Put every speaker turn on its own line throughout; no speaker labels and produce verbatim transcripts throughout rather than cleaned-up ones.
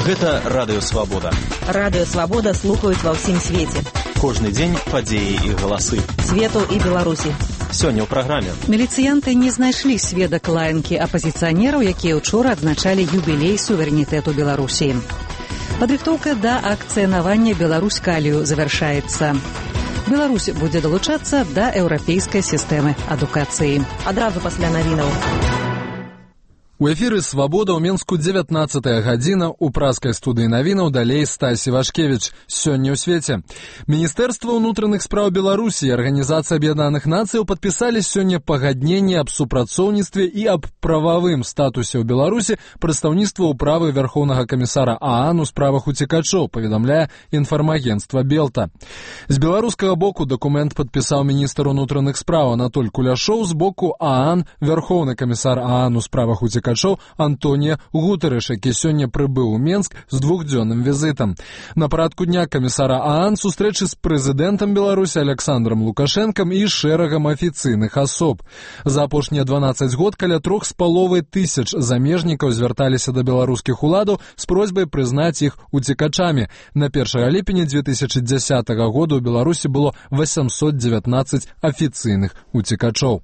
Гэта Радыё Свабода.
Радыё Свабода слухаюць ва ўсім свеце.
Кожны дзень падзеі і галасы.
Свету і Беларусі.
Сёння ў праграме.
Міліцыянты не знайшлі сведак лаянкі апазіцыянераў, якія ўчора адзначалі юбілей суверэнітэту Беларусі. Падрыхтоўка да акцыянавання Беларусь-Калію завяршаецца. Беларусь будзе далучацца да еўрапейскай сістэмы адукацыі.
Адразу пасля навінаў.
У эфіры «Свабода» ў Менску дзевятнаццатая гадзіна, у праскай студыі навінаў далей Стасі Вашкевіч. Сёння ў свеце. Міністэрства ўнутраных спраў Беларусі і Арганізацыя Аб'яднаных Нацыяў падпісалі сёння пагадненне аб супрацоўніцтве і аб прававым статусе ў Беларусі прадстаўніцтва ўправы Вярхоўнага камісара ААН у справах уцекачоў, паведамляе інфармагенцтва Белта. З беларускага боку дакумент падпісаў міністр унутраных спраў Анатоль Куляшоў, з боку ААН Вярхоўны камісар ААН у справах уцекачоў Антонія Гутарэш, які сёння прыбыў у Менск з двухдзённым візітам. На парадку дня камісара ААН сустрэчы з прэзідэнтам Беларусі Александром Лукашэнкам і шэрагам афіцыйных асоб. За апошнія дванаццаць год каля трох з паловай тысяч замежнікаў звярталіся да беларускіх уладаў з просьбай прызнаць іх уцекачамі. На першага ліпеня дзве тысячы дзясятага года ў Беларусі было восемьсот девятнадцать афіцыйных уцекачоў.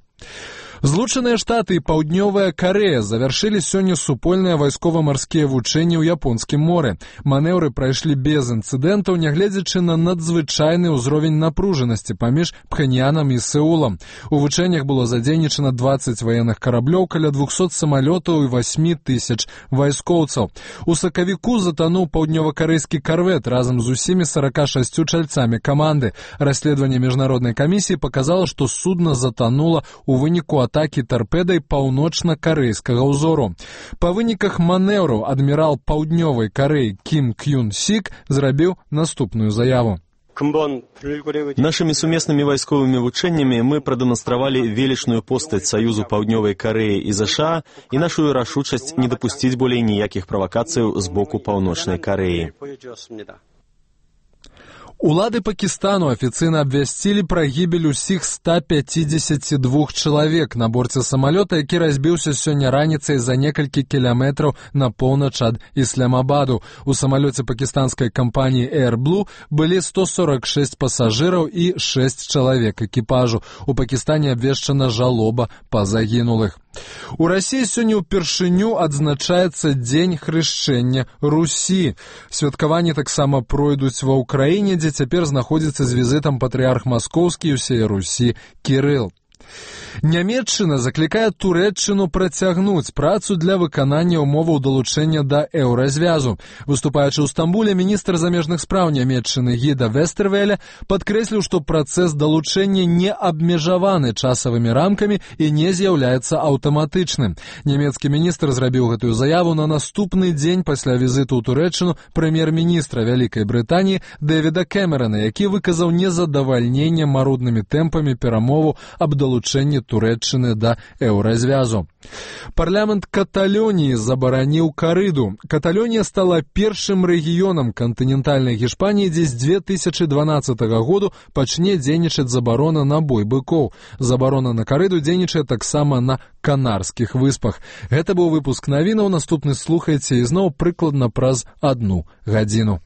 Злучаныя Штаты і Паўднёвая Карэя завяршылі сёння супольныя вайскова-марскія вучэнні ў Японскім моры. Манеўры прайшлі без інцыдэнтаў, нягледзячы на надзвычайны ўзровень напружанасці паміж Пхэньянам і Сеулам. У вучэннях было задзейнічана дваццаць ваенных караблёў, каля двухсот самалётаў і восьмі тысяч вайскоўцаў. У сакавіку затануў паўднёва-карэйскі карвет разам з усімі сарака шасцю чальцамі каманды. Расследаванне міжнароднай камісіі паказала, што судна затанула у выніку атакі тарпедай паўночна-карэйскага ўзору. Па выніках манеўраў адмірал Паўднёвай Карэі Кім Кюн Сік зрабіў наступную заяву.
Нашими сумеснымі вайсковымі вучэннямі мы прадэманстравалі велічную постаць Саюзу Паўднёвай Карэі і ЗША і нашу рашучасць не дапусціць болей ніякіх правакацыяў з боку Паўночнай Карэі.
Улады Пакістану афіцыйна абвясцілі пра гібель усіх ста пяцідзесяці двух чалавек на борце самалёта, які разбіўся сёння раніцай за некалькі кіламетраў на поўнач ад Ісламабаду. У самалёце пакістанскай кампаніі Air Blue былі сто сорок шэсць пасажыраў і шэсць чалавек экіпажу. У Пакістане абвешчана жалоба па загінулых. У Расіі сёння ўпершыню адзначаецца дзень хрышчэння Русі. Святкаванні таксама пройдуць ва ўкраіне, дзе цяпер знаходзіцца з візітам патрыарх маскоўскі і ўсей Русі Кірыл. Нямецчына заклікае Турэччыну працягнуць працу для выканання ўмоваў далучэння да еўразвязу. Выступаючы ў Стамбуле, міністр замежных спраў Нямецчыны Гіда Вестэрвеля падкрэсліў, што працэс далучэння не абмежаваны часавымі рамкамі і не з'яўляецца аўтаматычным. Нямецкі міністр зрабіў гэтую заяву на наступны дзень пасля візіту ў Турэччыну прэм'ер-міністра Вялікай Брытаніі Дэвіда Кэмерана, які выказаў незадавальненне маруднымі тэмпамі перамоваў аб далучэнні Турэччыны да еўразвязу. Парламент Каталоніі забараніў карыду. Каталонія стала першым рэгіёнам кантынентальнай Гішпаніі, дзе з дзве тысячы дванаццатага году пачне дзейнічаць забарона на бой быкоў. Забарона на карыду дзейнічае таксама на Канарскіх выспах. Гэта быў выпуск навінаў, наступны слухайце ізноў прыкладна праз адну гадзіну.